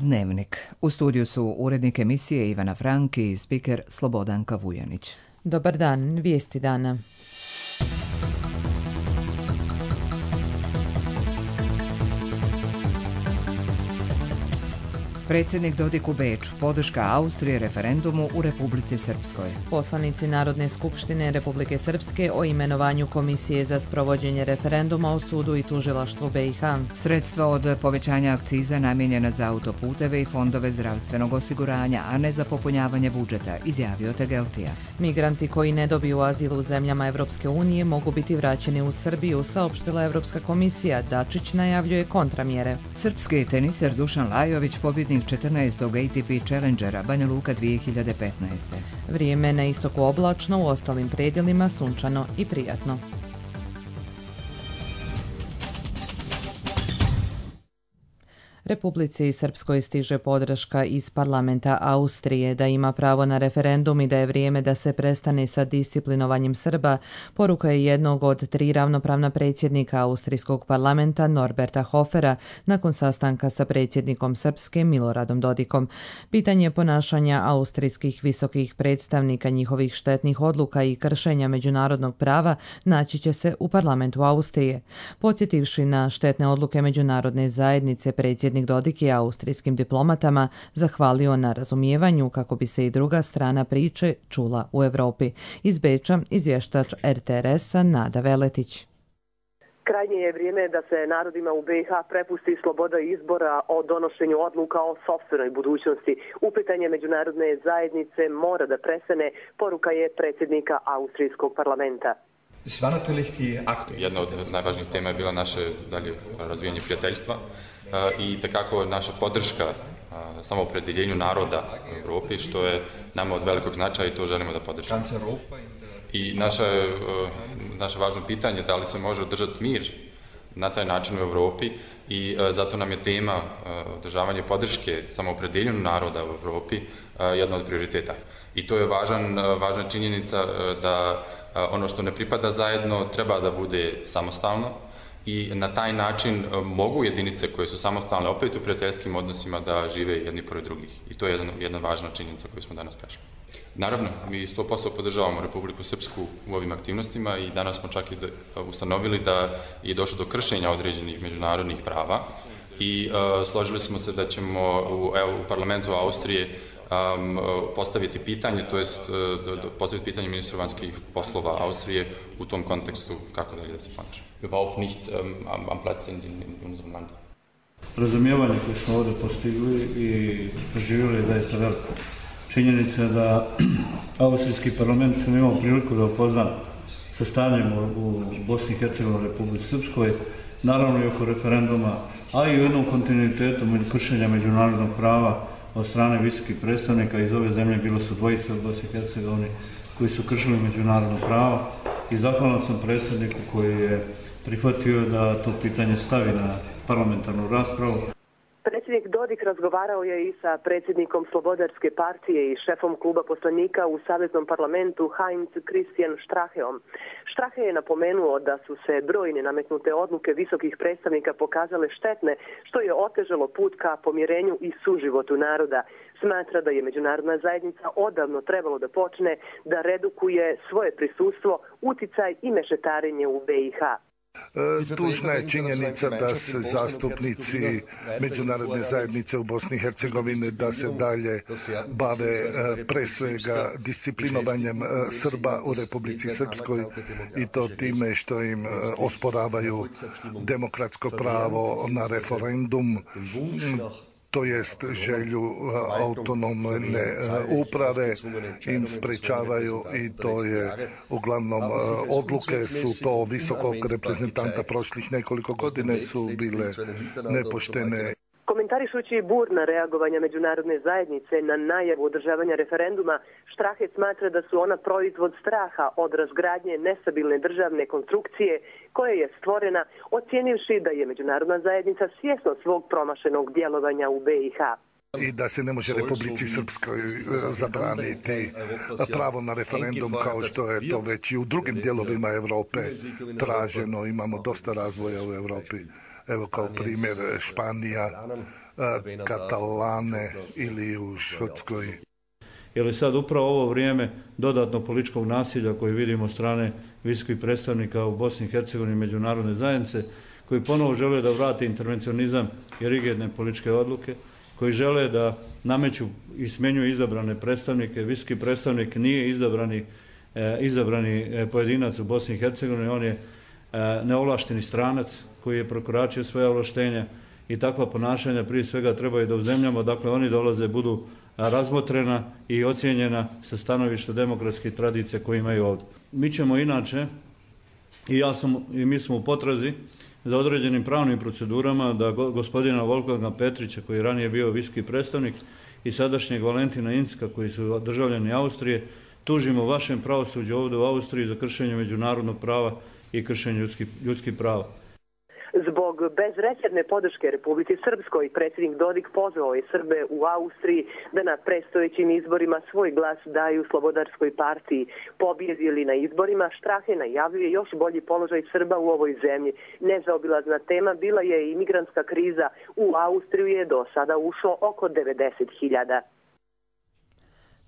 Dnevnik. U studiju su urednik emisije Ivana Frank i spiker Slobodanka Vujanić. Dobar dan, vijesti dana. Predsjednik Dodik u Beču, podrška Austrije referendumu u Republici Srpskoj. Poslanici Narodne skupštine Republike Srpske o imenovanju Komisije za sprovođenje referenduma u sudu i tužilaštvu BiH. Sredstva od povećanja akciza namijenjena za autoputeve i fondove zdravstvenog osiguranja, a ne za popunjavanje budžeta, izjavio Tegeltija. Migranti koji ne dobiju azil u zemljama Evropske unije mogu biti vraćeni u Srbiju, saopštila Evropska komisija. Dačić najavljuje kontramjere. Srpski teniser Dušan Lajović, pobjednik 14. ATP Challengera Banja Luka 2015. Vrijeme na istoku oblačno, u ostalim predjelima sunčano i prijatno. Republici Srpskoj stiže podrška iz parlamenta Austrije da ima pravo na referendum i da je vrijeme da se prestane sa disciplinovanjem Srba, poruka je jednog od 3 ravnopravna predsjednika austrijskog parlamenta Norberta Hofera nakon sastanka sa predsjednikom Srpske Miloradom Dodikom. Pitanje ponašanja austrijskih visokih predstavnika, njihovih štetnih odluka i kršenja međunarodnog prava naći će se u parlamentu Austrije. Podsjetivši na štetne odluke međunarodne zajednice, predsjednik Dodik je austrijskim diplomatama zahvalio na razumijevanju kako bi se i druga strana priče čula u Europi. Iz Beča izvještač RTRS-a Nada Veletić. Krajnje je vrijeme da se narodima u BiH prepusti sloboda izbora o donošenju odluka o sopstvenoj budućnosti. Upitanje međunarodne zajednice mora da prestane, poruka je predsjednika austrijskog parlamenta. Jedna od najvažnijih tema je bila naše dalje razvijanje prijateljstva i takako naša podrška samoopredjeljenju naroda u Europi, što je nama od velikog značaja i to želimo da podržimo. I naše važno pitanje da li se može održati mir na taj način u Europi i zato nam je tema održavanje podrške samoopredjeljenju naroda u Europi jedna od prioriteta. I to je važna činjenica da ono što ne pripada zajedno treba da bude samostalno i na taj način mogu jedinice koje su samostalne opet u prijateljskim odnosima da žive jedni pored drugih. I to je jedna važna činjenica koju smo danas prešli. Naravno, mi 100% podržavamo Republiku Srpsku u ovim aktivnostima i danas smo čak i ustanovili da je došlo do kršenja određenih međunarodnih prava i složili smo se da ćemo u parlamentu Austrije postaviti pitanje, to jest postaviti pitanje ministru vanjskih poslova Austrije u tom kontekstu kako dalje da se ponaša. Überhaupt nicht am Platz in unserem Land. Razumijevanje koje smo ovdje postigli i doživjeli je zaista veliko. Činjenica je da austrijski parlament sam imao priliku da upozna sa stanjem u Bosni i Hercegovini, Republici Srpskoj, naravno i oko referenduma, a i u jednom kontinuitetu kršenja međunarodnog prava od strane visokih predstavnika iz ove zemlje. Bilo su dvojice od Bosne i Hercegovine koji su kršili međunarodno pravo i zahvalan sam predsjedniku koji je prihvatio da to pitanje stavi na parlamentarnu raspravu. Predsjednik Dodik razgovarao je i sa predsjednikom Slobodarske partije i šefom kluba poslanika u Saveznom parlamentu Heinz Christian Stracheom. Strache je napomenuo da su se brojne nametnute odluke visokih predstavnika pokazale štetne, što je otežalo put ka pomirenju i suživotu naroda. Smatra da je međunarodna zajednica odavno trebalo da počne da redukuje svoje prisustvo, uticaj i mešetarenje u BiH. Tužna je činjenica da se zastupnici međunarodne zajednice u Bosni i Hercegovini da se dalje bave pre svega disciplinovanjem Srba u Republici Srpskoj i to time što im osporavaju demokratsko pravo na referendum, to jest želju autonomne uprave im sprečavaju i to je uglavnom odluke su to visokog reprezentanta prošlih nekoliko godina su bile nepoštene. Komentarišući burna reagovanja međunarodne zajednice na najavu održavanja referenduma, Strache smatra da su ona proizvod straha od razgradnje nestabilne državne konstrukcije koja je stvorena, ocijenivši da je međunarodna zajednica svjesna svog promašenog djelovanja u BiH. I da se ne može Republici Srpskoj zabraniti pravo na referendum kao što je to već i u drugim dijelovima Europe traženo. Imamo dosta razvoja u Europi. Evo kao primjer Španija Katalane ili u Škotskoj. Je li sad upravo ovo vrijeme dodatnog političkog nasilja koje vidimo od strane visokih predstavnika u Bosni i Hercegovini međunarodne zajednice, koji ponovo žele da vrate intervencionizam i rigidne političke odluke, koji žele da nameću i smjenjuju izabrane predstavnike. Visoki predstavnik nije izabrani pojedinac u Bosni i Hercegovini, on je neovlašteni stranac koji je prekoračio svoja ovlaštenja i takva ponašanja prije svega trebaju da u zemljama, dakle oni dolaze, budu razmotrena i ocijenjena sa stanovišta demokratskih tradicija koje imaju ovdje. Mi ćemo inače, i mi smo u potrazi za određenim pravnim procedurama da gospodina Wolfganga Petrića, koji je ranije bio visoki predstavnik, i sadašnjeg Valentina Incka, koji su državljani Austrije, tužimo vašem pravosuđu ovdje u Austriji za kršenje međunarodnog prava i kršenje ljudskih prava. Zbog bezrezervne podrške Republici Srpskoj, predsjednik Dodik pozvao je Srbe u Austriji da na predstojećim izborima svoj glas daju Slobodarskoj partiji. Pobjedi li na izborima, Strahe najavljuje još bolji položaj Srba u ovoj zemlji. Nezaobilazna tema bila je i migrantska kriza. U Austriju je do sada ušlo oko 90.000.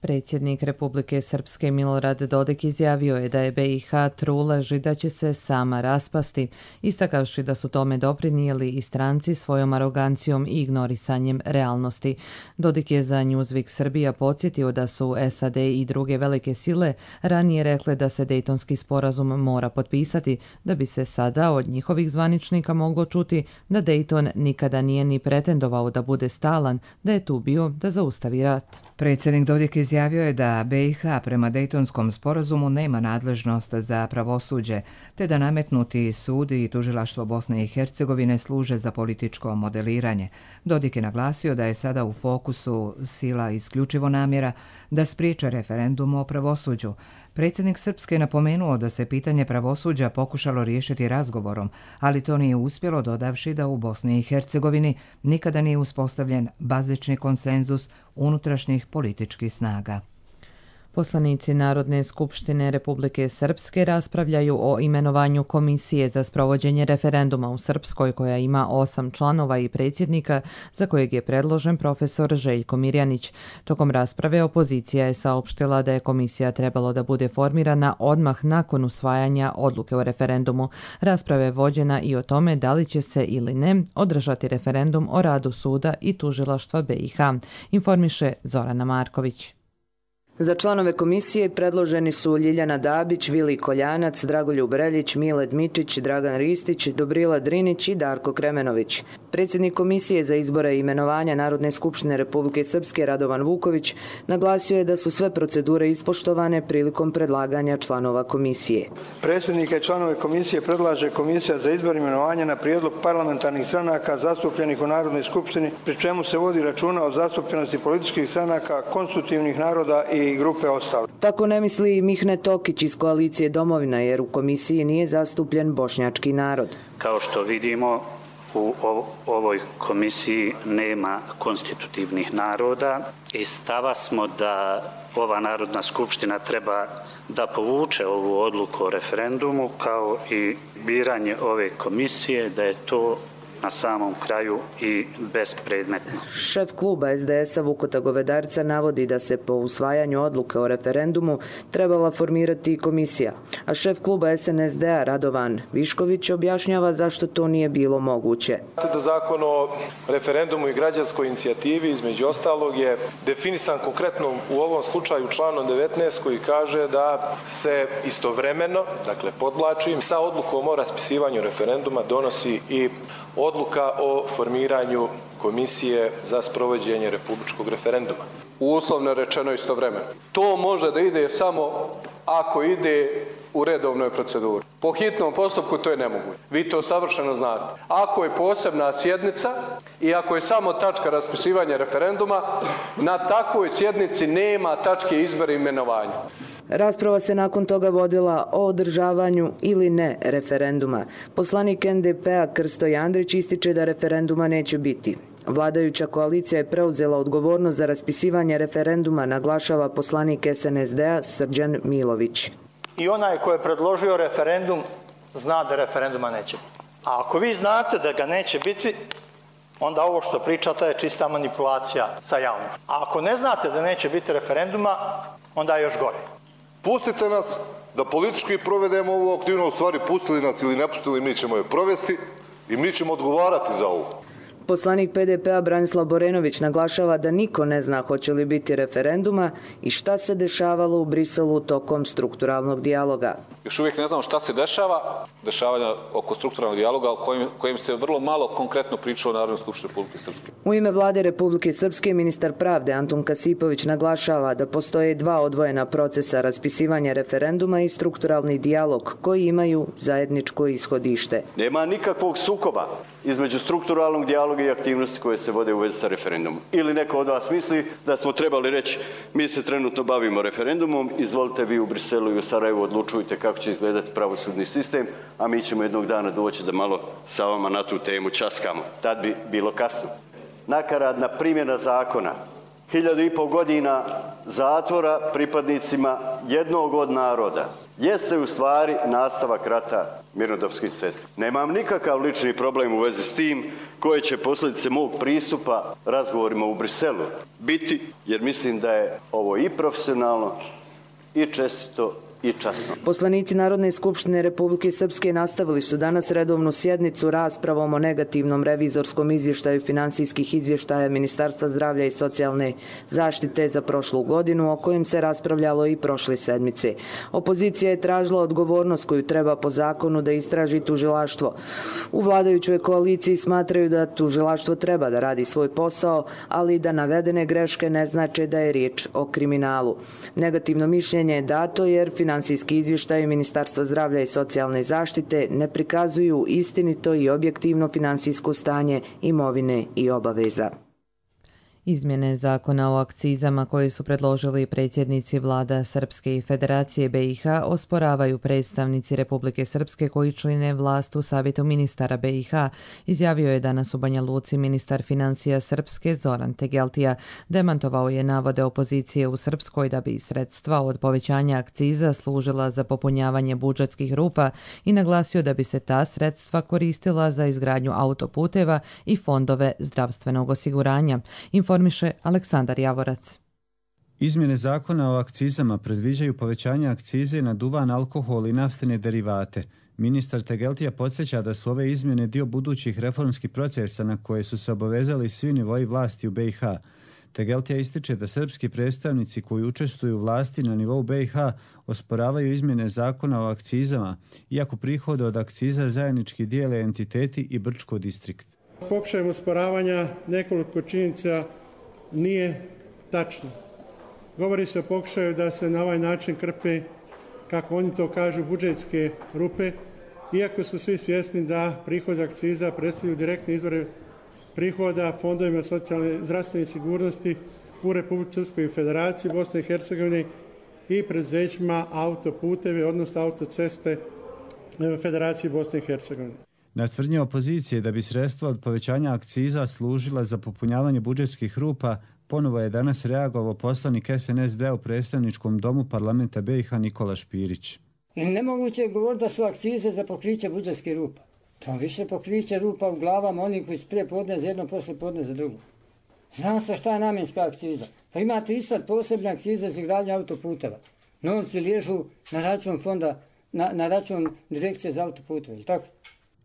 Predsjednik Republike Srpske Milorad Dodik izjavio je da je BiH trulež i da će se sama raspasti, istakavši da su tome doprinijeli i stranci svojom arogancijom i ignorisanjem realnosti. Dodik je za Newsweek Srbija podsjetio da su SAD i druge velike sile ranije rekle da se Dejtonski sporazum mora potpisati, da bi se sada od njihovih zvaničnika moglo čuti da Dejton nikada nije ni pretendovao da bude stalan, da je tu bio da zaustavi rat. Predsjednik Dodik izjavio je da BiH prema Dejtonskom sporazumu nema nadležnost za pravosuđe, te da nametnuti sudi i tužilaštvo Bosne i Hercegovine služe za političko modeliranje. Dodik je naglasio da je sada u fokusu sila isključivo namjera da spriječe referendum o pravosuđu. Predsjednik Srpske je napomenuo da se pitanje pravosuđa pokušalo riješiti razgovorom, ali to nije uspjelo, dodavši da u Bosni i Hercegovini nikada nije uspostavljen bazični konsenzus unutrašnjih političkih snaga. Poslanici Narodne skupštine Republike Srpske raspravljaju o imenovanju komisije za sprovođenje referenduma u Srpskoj koja ima 8 članova i predsjednika za kojeg je predložen profesor Željko Mirjanić. Tokom rasprave opozicija je saopštila da je komisija trebalo da bude formirana odmah nakon usvajanja odluke o referendumu. Rasprava je vođena i o tome da li će se ili ne održati referendum o radu suda i tužilaštva BiH, informiše Zorana Marković. Za članove komisije predloženi su Ljiljana Dabić, Vili Koljanac, Dragoljub Reljić, Mile Dmičić, Dragan Ristić, Dobrila Drinić i Darko Kremenović. Predsjednik Komisije za izbore i imenovanja Narodne skupštine Republike Srpske Radovan Vuković naglasio je da su sve procedure ispoštovane prilikom predlaganja članova komisije. Predsjednika i članove komisije predlaže Komisija za izbor i imenovanja na prijedlog parlamentarnih stranaka zastupljenih u Narodnoj skupštini, pri čemu se vodi računa o zastupljenosti političkih stranaka, konstitutivnih naroda i grupe ostale. Tako ne misli i Mihne Tokić iz koalicije Domovina, jer u komisiji nije zastupljen bošnjački narod. Kao što vidimo, u ovoj komisiji nema konstitutivnih naroda i stava smo da ova Narodna skupština treba da povuče ovu odluku o referendumu kao i biranje ove komisije, da je to na samom kraju i bespredmetno. Šef kluba SDS-a Vukota Govedarca navodi da se po usvajanju odluke o referendumu trebala formirati i komisija, a šef kluba SNSD-a Radovan Višković objašnjava zašto to nije bilo moguće. Da Zakon o referendumu i građanskoj inicijativi između ostalog je definisan konkretno u ovom slučaju članom 19 koji kaže da se istovremeno, dakle podvlačim, sa odlukom o raspisivanju referenduma donosi i odluka o formiranju komisije za sprovođenje republičkog referenduma. Uslovno rečeno istovremeno. To može da ide samo ako ide u redovnoj proceduri. Po hitnom postupku to je nemoguće. Vi to savršeno znate. Ako je posebna sjednica i ako je samo tačka raspisivanja referenduma, na takvoj sjednici nema tačke izbora i imenovanja. Rasprava se nakon toga vodila o održavanju ili ne referenduma. Poslanik NDP-a Krsto Jandrić ističe da referenduma neće biti. Vladajuća koalicija je preuzela odgovornost za raspisivanje referenduma, naglašava poslanik SNSD-a Srđan Milović. I onaj ko je predložio referendum zna da referenduma neće biti. A ako vi znate da ga neće biti, onda ovo što pričate je čista manipulacija sa javnošću. A ako ne znate da neće biti referenduma, onda je još gore. Pustite nas da politički provedemo ovu aktivnost, u stvari pustili nas ili ne pustili, mi ćemo je provesti i mi ćemo odgovarati za ovo. Poslanik PDP-a Branislav Borenović naglašava da niko ne zna hoće li biti referenduma i šta se dešavalo u Briselu tokom strukturalnog dijaloga. Još uvijek ne znamo šta se dešava, dešavanja oko strukturalnog dijaloga o kojem se vrlo malo konkretno pričalo u Narodnoj skupštini Republike Srpske. U ime Vlade Republike Srpske ministar pravde Antun Kasipović naglašava da postoje dva odvojena procesa raspisivanja referenduma i strukturalni dijalog koji imaju zajedničko ishodište. Nema nikakvog sukoba između strukturalnog dijaloga i aktivnosti koje se vode u vezi sa referendumom. Ili neko od vas misli da smo trebali reći mi se trenutno bavimo referendumom, izvolite vi u Briselu i u Sarajevu odlučujte kako će izgledati pravosudni sistem, a mi ćemo jednog dana doći da malo sa vama na tu temu časkamo. Tad bi bilo kasno. Nakaradna primjena zakona, 1500 godina zatvora pripadnicima jednog od naroda, jeste u stvari nastavak rata mirnodopskih sredstava. Nemam nikakav lični problem u vezi s tim koje će posljedice mog pristupa razgovorima u Briselu biti, jer mislim da je ovo i profesionalno i čestito i časno. Poslanici Narodne skupštine Republike Srpske nastavili su danas redovnu sjednicu raspravom o negativnom revizorskom izvještaju finansijskih izvještaja Ministarstva zdravlja i socijalne zaštite za prošlu godinu, o kojem se raspravljalo i prošle sedmice. Opozicija je tražila odgovornost koju treba po zakonu da istraži tužilaštvo. U vladajućoj koaliciji smatraju da tužilaštvo treba da radi svoj posao, ali da navedene greške ne znače da je riječ o kriminalu. Negativno mišljenje je dato jer finansijski izvještaji Ministarstva zdravlja i socijalne zaštite ne prikazuju istinito i objektivno finansijsko stanje imovine i obaveza. Izmjene zakona o akcizama koje su predložili predsjednici vlada Srpske i Federacije BiH osporavaju predstavnici Republike Srpske koji čine vlast u Savjetu ministara BiH, izjavio je danas u Banja Luci ministar financija Srpske Zoran Tegeltija. Demantovao je navode opozicije u Srpskoj da bi sredstva od povećanja akciza služila za popunjavanje budžetskih rupa i naglasio da bi se ta sredstva koristila za izgradnju autoputeva i fondove zdravstvenog osiguranja. Informiše Aleksandar Javorac. Izmjene zakona o akcizama predviđaju povećanje akcize na duvan, alkohol i naftne derivate. Ministar Tegeltija podsjeća da su ove izmjene dio budućih reformskih procesa na koje su se obavezali svi nivoji vlasti u BiH. Tegeltija ističe da srpski predstavnici koji učestvuju u vlasti na nivou BiH osporavaju izmjene zakona o akcizama, iako prihode od akciza zajednički dijele entiteti i Brčko distrikt. Pokušajem osporavanja nekoliko činjenica nije tačno. Govori se o pokušaju da se na ovaj način krpe, kako oni to kažu, budžetske rupe, iako su svi svjesni da prihod akciza predstavljaju direktne izvore prihoda fondovima socijalne zdravstvene sigurnosti u Republici Srpskoj i Federaciji Bosne i Hercegovine i preduzećima autoputeve, odnosno autoceste Federacije Bosne i Hercegovine. Na tvrdnje opozicije da bi sredstva od povećanja akciza služila za popunjavanje budžetskih rupa, ponovo je danas reagovao poslanik SNSD u predstavničkom domu parlamenta BiH Nikola Špirić. I nemoguće je govoriti da su akcize za pokriće budžetskih rupa. To više pokriće rupa u glavama onih koji su prije podne za jedno, posle podne za drugo. Zna se šta je namjenska akciza. Pa imate i sad posebne akcize za izgradnju autoputeva. Novci liježu na račun fonda, na račun direkcije za autoputeve, ili tako?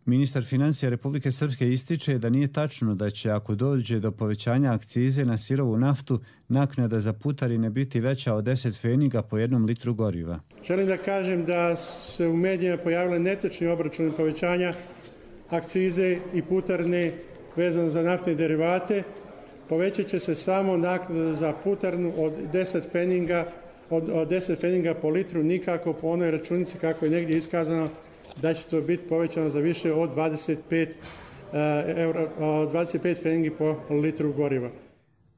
Ministar financija Republike Srpske ističe da nije tačno da će, ako dođe do povećanja akcize na sirovu naftu, naknada za putarine biti veća od 10 pfeniga po 1 litru goriva. Želim da kažem da se u medijima pojavile netočni obračuni povećanja akcize i putarine vezano za naftne derivate. Povećat će se samo naknada za putarnu od 10 pfeniga po litru, nikako po onoj računici kako je negdje iskazano da će to biti povećano za više od 25 pfenigi po litru goriva.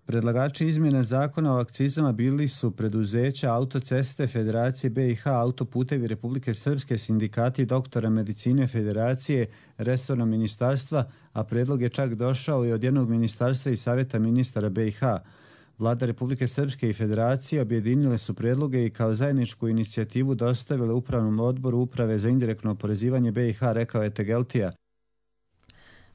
Predlagači izmjene zakona o akcizama bili su preduzeća Autoceste Federacije BiH, Autoputevi Republike Srpske, sindikati doktora medicine Federacije, resorna ministarstva, a predlog je čak došao i od jednog ministarstva i Savjeta ministara BiH. Vlada Republike Srpske i Federacije objedinile su predloge i kao zajedničku inicijativu dostavile Upravnom odboru Uprave za indirektno oporezivanje BiH, rekao je Tegeltija.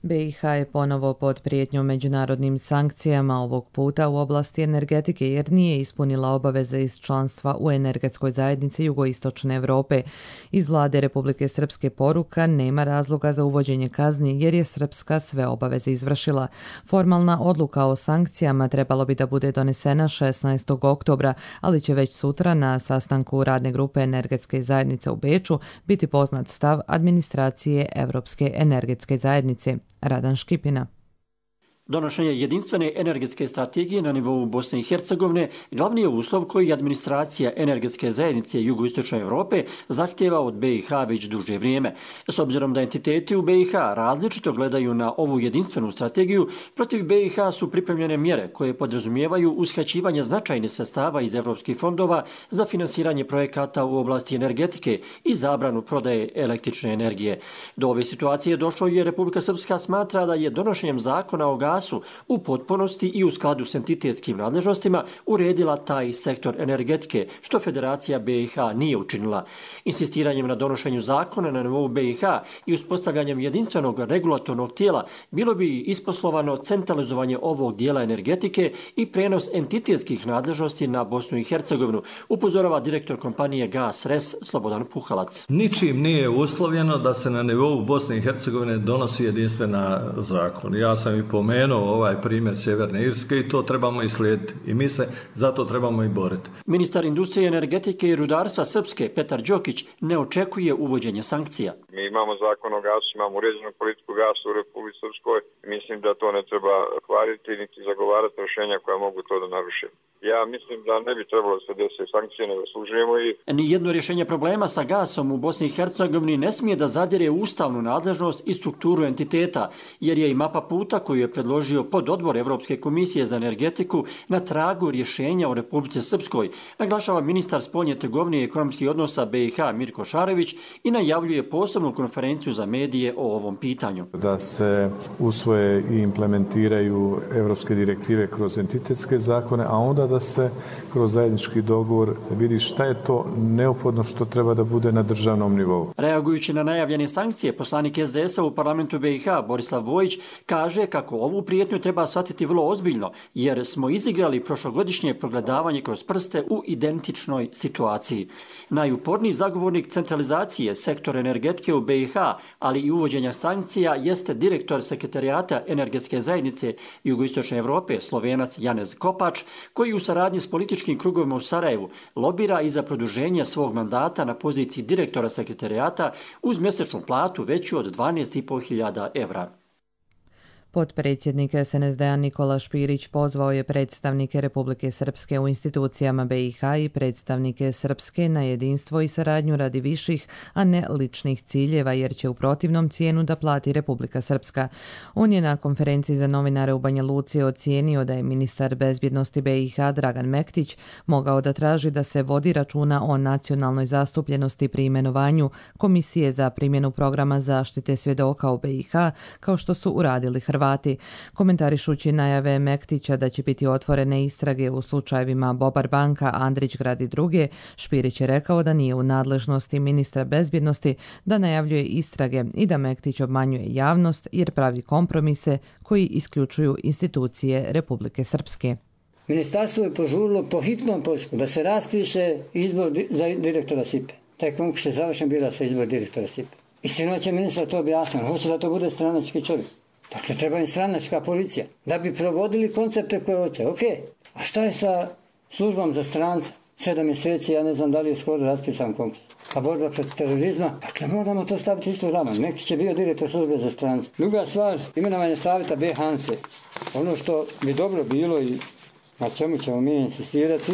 BiH je ponovo pod prijetnjom međunarodnim sankcijama, ovog puta u oblasti energetike, jer nije ispunila obaveze iz članstva u energetskoj zajednici Jugoistočne Europe. Iz vlade Republike Srpske poruka: nema razloga za uvođenje kazni jer je Srpska sve obaveze izvršila. Formalna odluka o sankcijama trebalo bi da bude donesena 16. oktobra, ali će već sutra na sastanku radne grupe energetske zajednice u Beču biti poznat stav administracije Evropske energetske zajednice. Radan Škipina. Donošenje jedinstvene energetske strategije na nivou Bosne i Hercegovine glavni je uslov koji administracija energetske zajednice Jugoistočne Europe zahtjeva od BiH već duže vrijeme. S obzirom da entiteti u BiH različito gledaju na ovu jedinstvenu strategiju, protiv BiH su pripremljene mjere koje podrazumijevaju uskraćivanje značajnih sredstava iz evropskih fondova za finansiranje projekata u oblasti energetike i zabranu prodaje električne energije. Do ove situacije došlo je Republika Srpska smatra da je donošenjem zakona o gasu u potpunosti i u skladu s entitetskim nadležnostima uredila taj sektor energetike, što Federacija BiH nije učinila. Insistiranjem na donošenju zakona na nivou BiH i uspostavljanjem jedinstvenog regulatornog tijela bilo bi isposlovano centralizovanje ovog dijela energetike i prenos entitetskih nadležnosti na Bosnu i Hercegovinu, upozorava direktor kompanije Gas Res Slobodan Puhalac. Ničim nije uslovljeno da se na nivou Bosne i Hercegovine donosi jedinstvena zakon. Ja sam i pomenuo ovaj primjer Sjeverne Irske i to trebamo i slijediti. I mi se zato trebamo i boriti. Ministar industrije, energetike i rudarstva Srpske Petar Đokić ne očekuje uvođenje sankcija. Mi imamo zakon o gasu, imamo uređenu politiku gasa u Republici Srpskoj. Mislim da to ne treba hvaliti niti zagovarati rješenja koja mogu to da naruše. Ja mislim da ne bi trebalo da se desi sankcije, ne zaslužujemo ih. Nijedno rješenje problema sa gasom u Bosni i Hercegovini ne smije da zadire ustavnu nadležnost i strukturu entiteta, jer je i mapa puta koju je predložio pododbor Evropske komisije za energetiku na tragu rješenja u Republici Srpskoj, naglašava ministar spoljne trgovine i ekonomskih odnosa BiH Mirko Šarević i najavljuje posebnu konferenciju za medije o ovom pitanju. Da se usvoje i implementiraju evropske direktive kroz entitetske zakone, a onda da se kroz zajednički dogovor vidi šta je to neophodno što treba da bude na državnom nivou. Reagujući na najavljene sankcije, poslanik SDS-a u parlamentu BiH Borislav Bojić kaže kako ovu prijetnju treba shvatiti vrlo ozbiljno, jer smo izigrali prošlogodišnje progledavanje kroz prste u identičnoj situaciji. Najuporniji zagovornik centralizacije sektora energetike u BiH, ali i uvođenja sankcija, jeste direktor Sekretarijata energetske zajednice Jugoistočne Europe, Slovenac Janez Kopač, koji u saradnji s političkim krugovima u Sarajevu lobira i za produženje svog mandata na poziciji direktora Sekretarijata uz mjesečnu platu veću od 12.500 evra. Potpredsjednik SNSD-a Nikola Špirić pozvao je predstavnike Republike Srpske u institucijama BiH i predstavnike Srpske na jedinstvo i saradnju radi viših, a ne ličnih ciljeva, jer će u protivnom cijenu da plati Republika Srpska. On je na konferenciji za novinare u Banja Luci ocijenio da je ministar bezbjednosti BiH Dragan Mektić mogao da traži da se vodi računa o nacionalnoj zastupljenosti pri imenovanju Komisije za primjenu programa zaštite svjedoka u BiH, kao što su uradili Hrvati. Komentarišući najave Mektića da će biti otvorene istrage u slučajevima Bobar banka, Andrićgrad i druge, Špirić je rekao da nije u nadležnosti ministra bezbjednosti da najavljuje istrage i da Mektić obmanjuje javnost jer pravi kompromise koji isključuju institucije Republike Srpske. Ministarstvo je požurilo po hitnom postupku da se raspiše izbor za direktora SIPE. Taj konkurs je završen bila sa izbor direktora SIPE. I sinoć je ministar to objasnio, hoće da to bude stranački čovjek. Dakle, treba im stranačka policija da bi provodili koncepte koje hoće. Ok, a šta je sa službom za strance? 7 mjeseci, ja ne znam da li je skoro raspisan konkurs. A borba protiv terorizma, dakle, moramo to staviti isto rama. Mekić je bio direktor službe za strance. Druga stvar, imenovanje savjeta B. Hanse. Ono što bi dobro bilo i na čemu ćemo mi insistirati,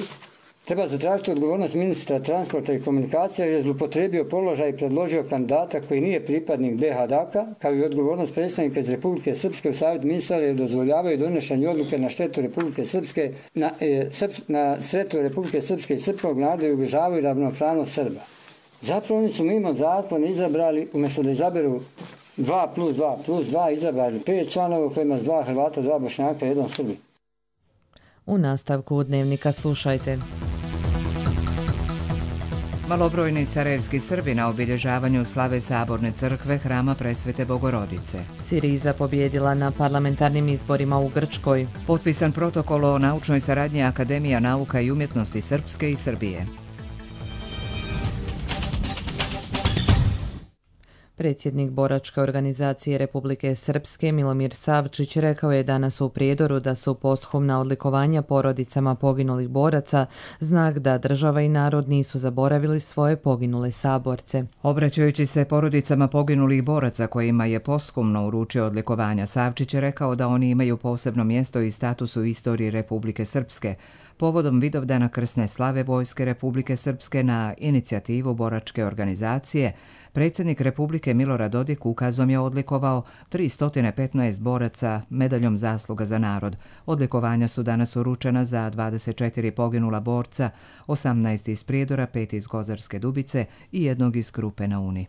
treba zatražiti odgovornost ministra transporta i komunikacija jer je zlupotrebio položaj i predložio kandidata koji nije pripadnik BiH-a, kao i odgovornost predstavnika iz Republike Srpske u savjet ministara jer dozvoljavaju donošenje odluke na štetu Republike Srpske, na štetu Republike Srpske i srpskog naroda i ugrožavaju ravnopravnost Srba. Zapravo oni su mimo zakona izabrali, umjesto da izaberu 2+2+2, izabrali 5 članova u kojima 2 Hrvata, 2 Bošnjaka i 1 Srbi. U nastavku Dnevnika slušajte. Malobrojni sarajevski Srbi na obilježavanju slave Saborne crkve Hrama Presvete Bogorodice. Siriza pobjedila na parlamentarnim izborima u Grčkoj. Potpisan protokol o naučnoj saradnji Akademija nauka i umjetnosti Srpske i Srbije. Predsjednik boračke organizacije Republike Srpske Milomir Savčić rekao je danas u Prijedoru da su posthumna odlikovanja porodicama poginulih boraca znak da država i narod nisu zaboravili svoje poginule saborce. Obraćajući se porodicama poginulih boraca kojima je posthumno uručio odlikovanja, Savčić je rekao da oni imaju posebno mjesto i status u istoriji Republike Srpske. Povodom Vidovdana krsne slave Vojske Republike Srpske na inicijativu boračke organizacije, predsjednik Republike Milorad Dodik ukazom je odlikovao 315 boraca medaljom zasluga za narod. Odlikovanja su danas uručena za 24 poginula borca, 18 iz Prijedora, 5 iz Gozarske Dubice i 1 iz Krupe na Uni.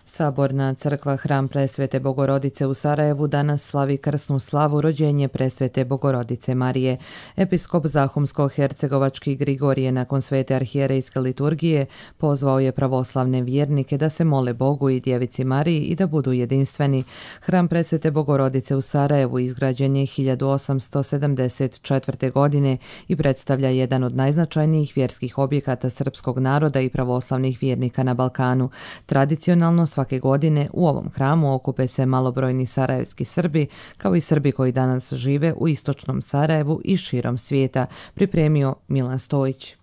Saborna crkva Hram Presvete Bogorodice u Sarajevu danas slavi krsnu slavu rođenje Presvete Bogorodice Marije. Episkop Zahumsko-hercegovački Grigorije nakon svete arhijerejske liturgije pozvao je pravoslavne vjernike da se mole Bogu i Djevici Mariji i da budu jedinstveni. Hram Presvete Bogorodice u Sarajevu izgrađen je 1874. godine i predstavlja jedan od najznačajnijih vjerskih objekata srpskog naroda i pravoslavnih vjernika na Balkanu. Tradicionalno svake godine u ovom hramu okupe se malobrojni sarajevski Srbi, kao i Srbi koji danas žive u istočnom Sarajevu i širom svijeta, pripremio Milan Stojić.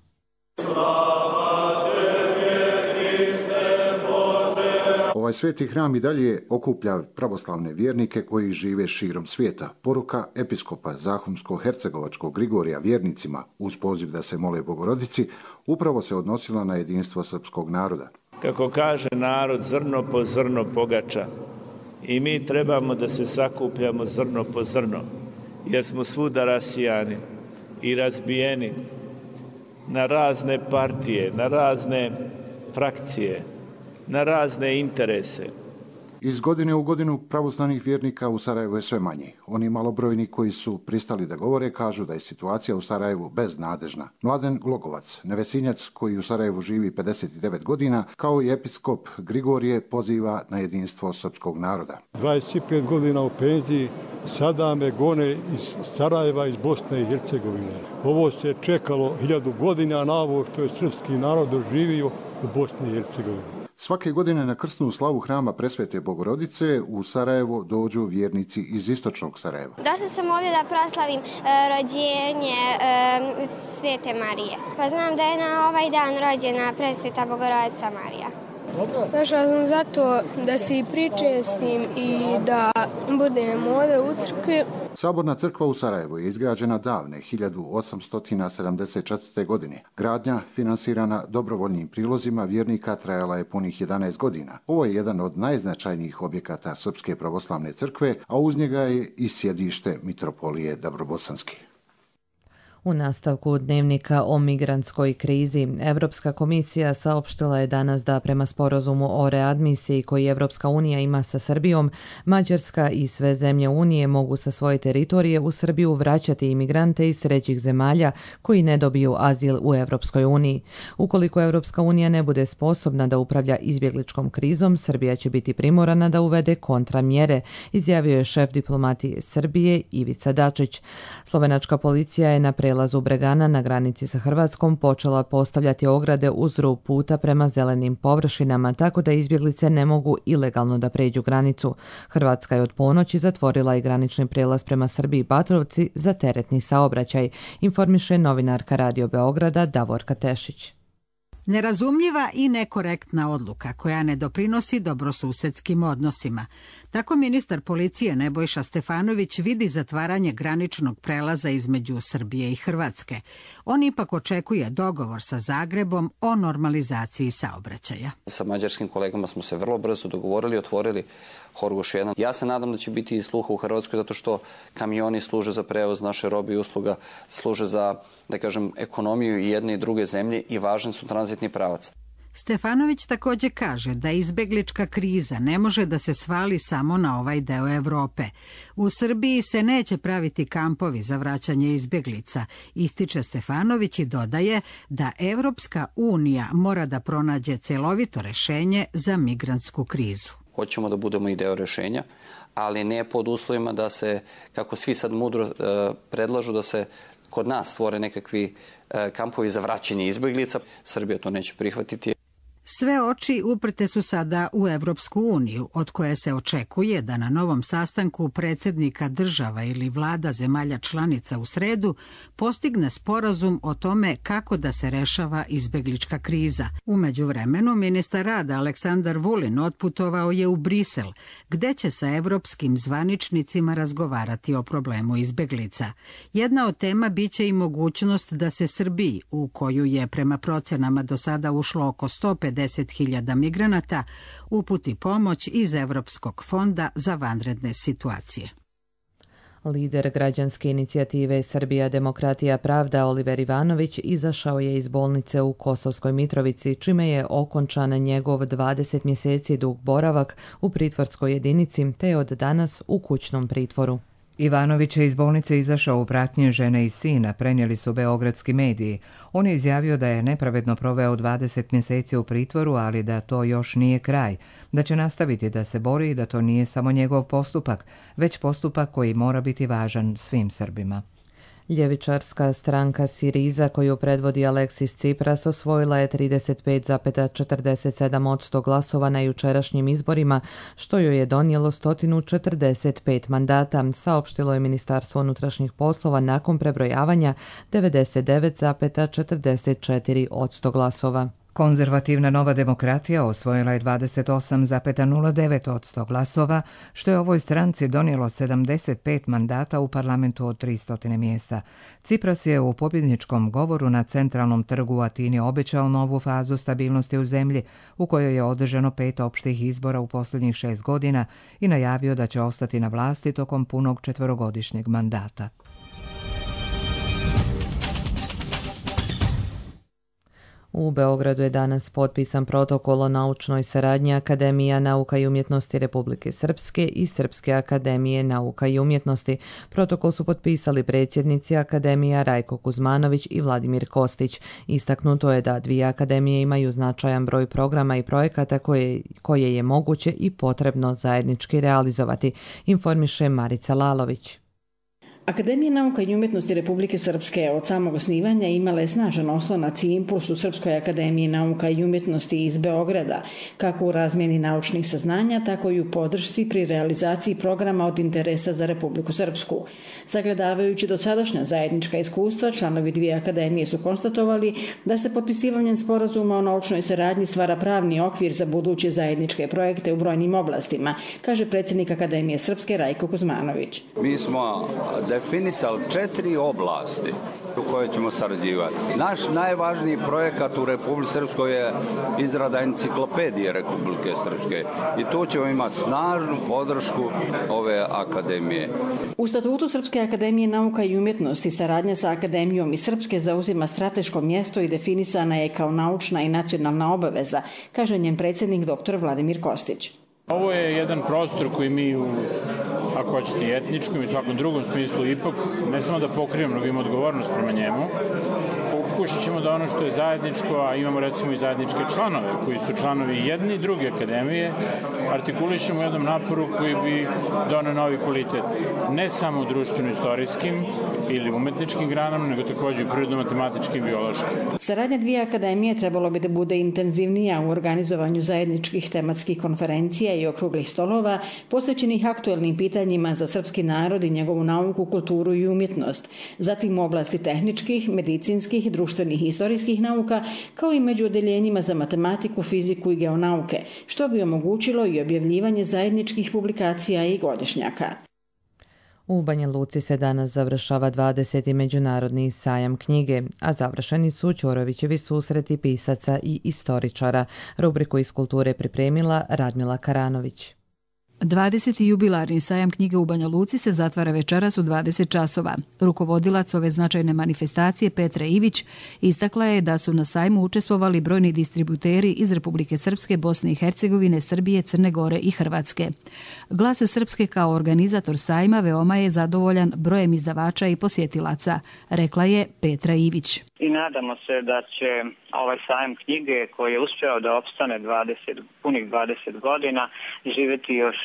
Ovaj sveti hram i dalje okuplja pravoslavne vjernike koji žive širom svijeta. Poruka episkopa Zahumsko-hercegovačkog Grigorija vjernicima uz poziv da se mole Bogorodici upravo se odnosila na jedinstvo srpskog naroda. Kako kaže narod, zrno po zrno pogača. I mi trebamo da se sakupljamo zrno po zrno, jer smo svuda rasijani i razbijeni na razne partije, na razne frakcije, na razne interese. Iz godine u godinu pravoslavnih vjernika u Sarajevu je sve manje. Oni malobrojni koji su pristali da govore kažu da je situacija u Sarajevu beznadežna. Mladen Glogovac, nevesinjac koji u Sarajevu živi 59 godina, kao i episkop Grigorije poziva na jedinstvo srpskog naroda. 25 godina u penziji, sada me gone iz Sarajeva, iz Bosne i Hercegovine. Ovo se čekalo 1000 godina na ovo što je srpski narod doživio u Bosni i Hercegovini. Svake godine na krsnu slavu Hrama Presvete Bogorodice u Sarajevo dođu vjernici iz istočnog Sarajeva. Došla sam ovdje da proslavim rođenje Svete Marije. Pa znam da je na ovaj dan rođena Presveta Bogorodica Marija. Došla sam zato da se i pričestim i da budem ovdje u crkvi. Saborna crkva u Sarajevu je izgrađena davne 1874. godine. Gradnja, finansirana dobrovoljnim prilozima vjernika, trajala je punih 11 godina. Ovo je jedan od najznačajnijih objekata Srpske pravoslavne crkve, a uz njega je i sjedište mitropolije Dabrobosanske. U nastavku dnevnika o migrantskoj krizi, Evropska komisija saopštila je danas da prema sporazumu o readmisiji koji Evropska unija ima sa Srbijom, Mađarska i sve zemlje Unije mogu sa svoje teritorije u Srbiju vraćati imigrante iz trećih zemalja koji ne dobiju azil u Evropskoj uniji. Ukoliko Evropska unija ne bude sposobna da upravlja izbjegličkom krizom, Srbija će biti primorana da uvede kontramjere, izjavio je šef diplomatije Srbije Ivica Dačić. Slovenačka policija je na prelazu Bregana na granici sa Hrvatskom počela postavljati ograde uz rub puta prema zelenim površinama, tako da izbjeglice ne mogu ilegalno da pređu granicu. Hrvatska je od ponoći zatvorila i granični prijelaz prema Srbiji Batrovci za teretni saobraćaj, informiše novinarka Radio Beograda Davorka Tešić. Nerazumljiva i nekorektna odluka koja ne doprinosi dobrosusedskim odnosima. Tako ministar policije Nebojša Stefanović vidi zatvaranje graničnog prelaza između Srbije i Hrvatske. On ipak očekuje dogovor sa Zagrebom o normalizaciji saobraćaja. Sa mađarskim kolegama smo se vrlo brzo dogovorili, otvorili Horgoš 1. Ja se nadam da će biti i sluha u Hrvatskoj zato što kamioni služe za prevoz naše robe i usluga, služe za, da kažem, ekonomiju i jedne i druge zemlje i važan su tranzitni pravac. Stefanović također kaže da izbeglička kriza ne može da se svali samo na ovaj deo Europe. U Srbiji se neće praviti kampovi za vraćanje izbeglica, ističe Stefanović i dodaje da Evropska unija mora da pronađe celovito rešenje za migrantsku krizu. Hoćemo da budemo i deo rešenja, ali ne pod uslovima da se, kako svi sad mudro predlažu, da se kod nas stvore nekakvi kampovi za vraćanje izbeglica. Srbija to neće prihvatiti. Sve oči uprte su sada u Evropsku uniju, od koje se očekuje da na novom sastanku predsjednika država ili vlada zemalja članica u sredu postigne sporazum o tome kako da se rešava izbeglička kriza. U međuvremenu, ministar rada Aleksandar Vulin otputovao je u Brisel, gde će sa evropskim zvaničnicima razgovarati o problemu izbeglica. Jedna od tema biće i mogućnost da se Srbiji, u koju je prema procenama do sada ušlo oko 150.000 migranata, uputi pomoć iz Evropskog fonda za vanredne situacije. Lider građanske inicijative Srbija, demokratija, pravda Oliver Ivanović izašao je iz bolnice u Kosovskoj Mitrovici, čime je okončan njegov 20 mjeseci dug boravak u pritvorskoj jedinici, te je od danas u kućnom pritvoru. Ivanović je iz bolnice izašao u pratnji žene i sina, prenijeli su beogradski mediji. On je izjavio da je nepravedno proveo 20 mjeseci u pritvoru, ali da to još nije kraj, da će nastaviti da se bori i da to nije samo njegov postupak, već postupak koji mora biti važan svim Srbima. Ljevičarska stranka Siriza, koju predvodi Aleksis Tsipras, osvojila je 35,47% glasova na jučerašnjim izborima, što joj je donijelo 145 mandata, saopštilo je Ministarstvo unutrašnjih poslova nakon prebrojavanja 99,44% glasova. Konzervativna Nova demokratija osvojila je 28,09% glasova, što je ovoj stranci donijelo 75 mandata u parlamentu od 300 mjesta. Tsipras je u pobjedničkom govoru na centralnom trgu u Atini obećao novu fazu stabilnosti u zemlji, u kojoj je održano 5 opštih izbora u posljednjih 6 godina i najavio da će ostati na vlasti tokom punog 4-godišnjeg mandata. U Beogradu je danas potpisan protokol o naučnoj saradnji Akademija nauka i umjetnosti Republike Srpske i Srpske akademije nauka i umjetnosti. Protokol su potpisali predsjednici Akademija Rajko Kuzmanović i Vladimir Kostić. Istaknuto je da dvije akademije imaju značajan broj programa i projekata koje je moguće i potrebno zajednički realizovati, informiše Marica Lalović. Akademija nauka i umjetnosti Republike Srpske od samog osnivanja imala je snažan oslonac i impuls u Srpskoj akademiji nauka i umjetnosti iz Beograda, kako u razmjeni naučnih saznanja, tako i u podršci pri realizaciji programa od interesa za Republiku Srpsku. Sagledavajući dosadašnja zajednička iskustva, članovi dvije akademije su konstatovali da se potpisivanjem sporazuma o naučnoj saradnji stvara pravni okvir za buduće zajedničke projekte u brojnim oblastima, kaže predsjednik Akademije Srpske Rajko Kuzmanović. Mi smo definisali 4 oblasti u koje ćemo sarađivati. Naš najvažniji projekat u Republike Srpskoj je izrada enciklopedije Republike Srpske i tu ćemo imati snažnu podršku ove akademije. U statutu Srpske akademije nauka i umjetnosti saradnja sa Akademijom i Srpske zauzima strateško mjesto i definisana je kao naučna i nacionalna obaveza, kaže njen predsjednik dr. Vladimir Kostić. Ovo je jedan prostor koji mi ako hoćete i etničkom i svakom drugom smislu ipak ne samo da pokrivamo, nego imamo odgovornost prema njemu. Pokušat ćemo da ono što je zajedničko, a imamo recimo i zajedničke članove, koji su članovi jedne i druge akademije, artikulišemo u jednom naporu koji bi doneo novi kvalitet. Ne samo u društveno-istorijskim ili umetničkim granama, nego također i prirodno-matematičkim i biološkim. Saradnja dvije akademije trebalo bi da bude intenzivnija u organizovanju zajedničkih tematskih konferencija i okruglih stolova posvećenih aktuelnim pitanjima za srpski narod i njegovu nauku, kulturu i umjetnost, zatim u oblasti tehničkih, medicinskih, društvenih i istorijskih nauka, kao i među odeljenjima za matematiku, fiziku i geonauke, što bi omogućilo i objavljivanje zajedničkih publikacija i godišnjaka. U Banja Luci se danas završava 20. međunarodni sajam knjige, a završeni su Ćorovićevi susreti pisaca i istoričara. Rubriku iz kulture pripremila Radmila Karanović. 20. jubilarni sajam knjige u Banja Luci se zatvara večeras u 20 časova. Rukovodilac ove značajne manifestacije Petra Ivić istakla je da su na sajmu učestvovali brojni distributeri iz Republike Srpske, Bosne i Hercegovine, Srbije, Crne Gore i Hrvatske. Glas Srpske kao organizator sajma veoma je zadovoljan brojem izdavača i posjetilaca, rekla je Petra Ivić. I nadamo se da će ovaj sajam knjige koji je uspeo da opstane punih 20 godina živjeti još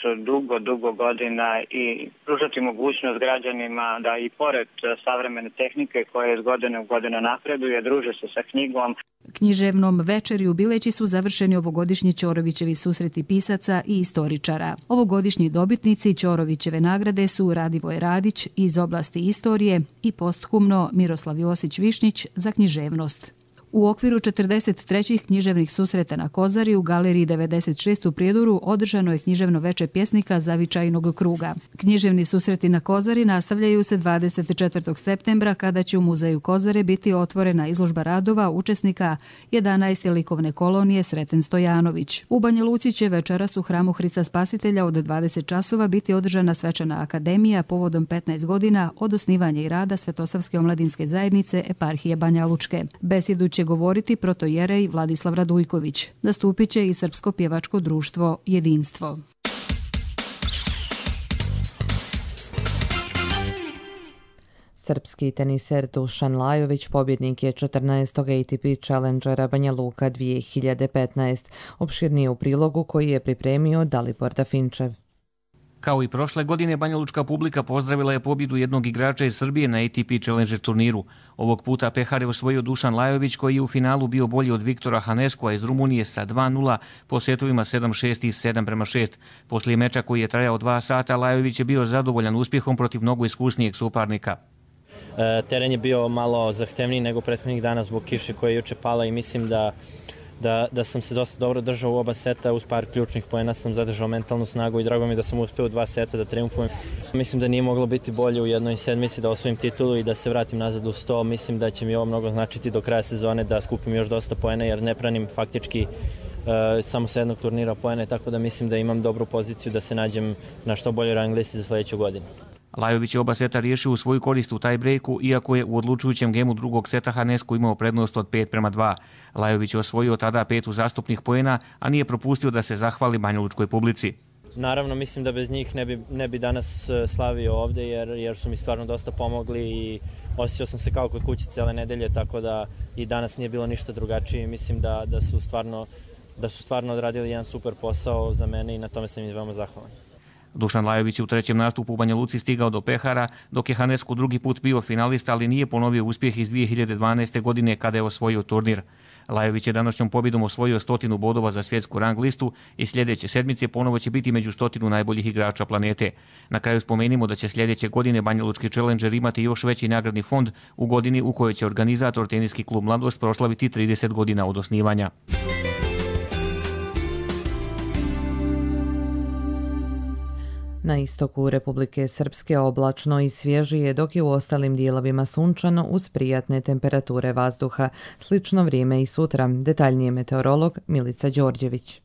dugo godina i pružati mogućnost građanima da i pored savremene tehnike koja iz godine u godinu napreduje, druže se sa knjigom. Književnom večeri u Bileći su završeni ovogodišnji Ćorovićevi susreti pisaca i istoričara. Ovogodišnji dobitnici Ćorovićeve nagrade su Radivoj Radić iz oblasti istorije i posthumno Miroslav Josić Višnjić za književnost. U okviru 43. književnih susreta na Kozari u Galeriji 96 u Prijedoru održano je književno veče pjesnika Zavičajnog kruga. Književni susreti na Kozari nastavljaju se 24. septembra kada će u Muzeju Kozare biti otvorena izložba radova učesnika 11. likovne kolonije Sreten Stojanović. U Banja Luci će večeras u Hramu Hrista Spasitelja od 20 časova biti održana svečana akademija povodom 15 godina od osnivanja i rada Svetosavske omladinske zajednice Eparhije Banja Lučke. Besjedu će govoriti protojerej Vladislav Radujković. Nastupit će i Srpsko pjevačko društvo Jedinstvo. Srpski teniser Dušan Lajović pobjednik je 14. ATP Challengera Banja Luka 2015. Opširnije u prilogu koji je pripremio Dalibor Dafinčev. Kao i prošle godine, banjalučka publika pozdravila je pobjedu jednog igrača iz Srbije na ATP Challenger turniru. Ovog puta pehar je osvojio Dušan Lajović koji je u finalu bio bolji od Viktora Haneskova iz Rumunije sa 2-0 po setovima 7-6 i 7-6. Poslije meča koji je trajao 2 sata, Lajović je bio zadovoljan uspjehom protiv mnogo iskusnijeg suparnika. Teren je bio malo zahtevniji nego prethodnih dana zbog kiše koja je juče pala i mislim da sam se dosta dobro držao u oba seta, uz par ključnih poena sam zadržao mentalnu snagu i drago mi da sam uspeo u 2 seta da triumfujem. Mislim da nije moglo biti bolje u jednoj sedmici da osvojim titulu i da se vratim nazad u 100. Mislim da će mi ovo mnogo značiti do kraja sezone da skupim još dosta poena jer ne pranim faktički samo sa jednog turnira poene, tako da mislim da imam dobru poziciju da se nađem na što boljoj rang listi za sljedeću godinu. Lajović je oba seta riješio u svoju korist u tie-breaku, iako je u odlučujućem gemu drugog seta Hanesku imao prednost od 5-2. Lajović je osvojio tada 5 uzastopnih poena, a nije propustio da se zahvali banjalučkoj publici. Naravno, mislim da bez njih ne bi danas slavio ovdje, jer su mi stvarno dosta pomogli i osjećao sam se kao kod kuće cijele nedelje, tako da i danas nije bilo ništa drugačije. Mislim da su stvarno odradili jedan super posao za mene i na tome sam im veoma zahvalan. Dušan Lajović je u trećem nastupu u Banja Luci stigao do pehara, dok je Hanesku drugi put bio finalista, ali nije ponovio uspjeh iz 2012. godine kada je osvojio turnir. Lajović je današnjom pobjedom osvojio 100 bodova za svjetsku rang listu i sljedeće sedmice ponovo će biti među 100 najboljih igrača planete. Na kraju spomenimo da će sljedeće godine banjalučki Challenger imati još veći nagradni fond u godini u kojoj će organizator teniski klub Mladost proslaviti 30 godina od osnivanja. Na istoku Republike Srpske oblačno i svježije, dok je u ostalim dijelovima sunčano uz prijatne temperature vazduha. Slično vrijeme i sutra. Detaljnije meteorolog Milica Đorđević.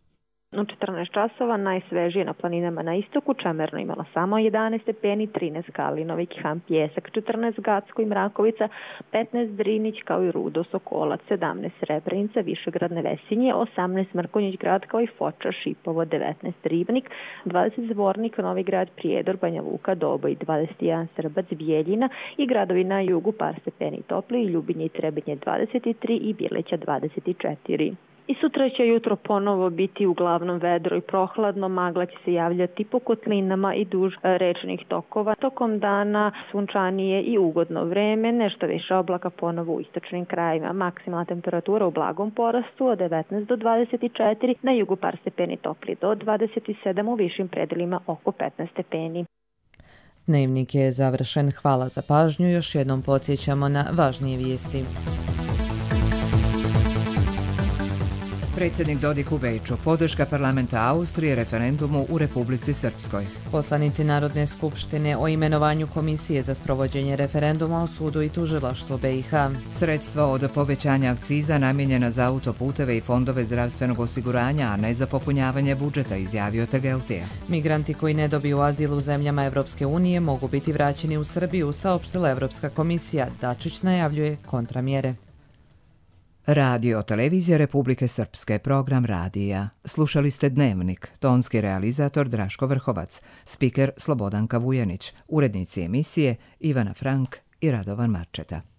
U 14 časova najsvežije na planinama na istoku, Čemerno imala samo 11 stepeni, 13 Kalinovi, Kihan, Pjesak, 14 Gacko i Mrakovica, 15 Drinić kao i Rudo, Sokolac, 17 Srebrenica, Višegrad, Nevesinje, 18 Mrkonjić grad kao i Foča, Šipovo, 19 Ribnik, 20 Zvornik, Novi grad, Prijedor, Banja Luka, Doboj, 21 Srbac, Bijeljina i gradovi na jugu par stepeni topli, Ljubinje i Trebinje 23 i Bjeleća 24. I sutra će jutro ponovo biti uglavnom vedro i prohladno, magla će se javljati po kotlinama i duž rečnih tokova. Tokom dana sunčanije i ugodno vreme, nešto više oblaka ponovo u istočnim krajima. Maksimalna temperatura u blagom porastu od 19 do 24, na jugu par stepeni topli do 27, u višim predelima oko 15 stepeni. Dnevnik je završen. Hvala za pažnju. Još jednom podsjećamo na važnije vijesti. Predsjednik Dodik u Beču, podrška parlamenta Austrije referendumu u Republici Srpskoj. Poslanici Narodne skupštine o imenovanju komisije za sprovođenje referenduma o sudu i tužilaštvu BiH. Sredstva od povećanja akciza namijenjena za autoputeve i fondove zdravstvenog osiguranja, a ne za popunjavanje budžeta, izjavio Tegeltija. Migranti koji ne dobiju azil u zemljama Evropske unije mogu biti vraćeni u Srbiju, saopštila Evropska komisija. Dačić najavljuje kontramjere. Radio Televizija Republike Srpske, program radija. Slušali ste Dnevnik, tonski realizator Draško Vrhovac, spiker Slobodanka Vujanić, urednici emisije Ivana Frank i Radovan Marčeta.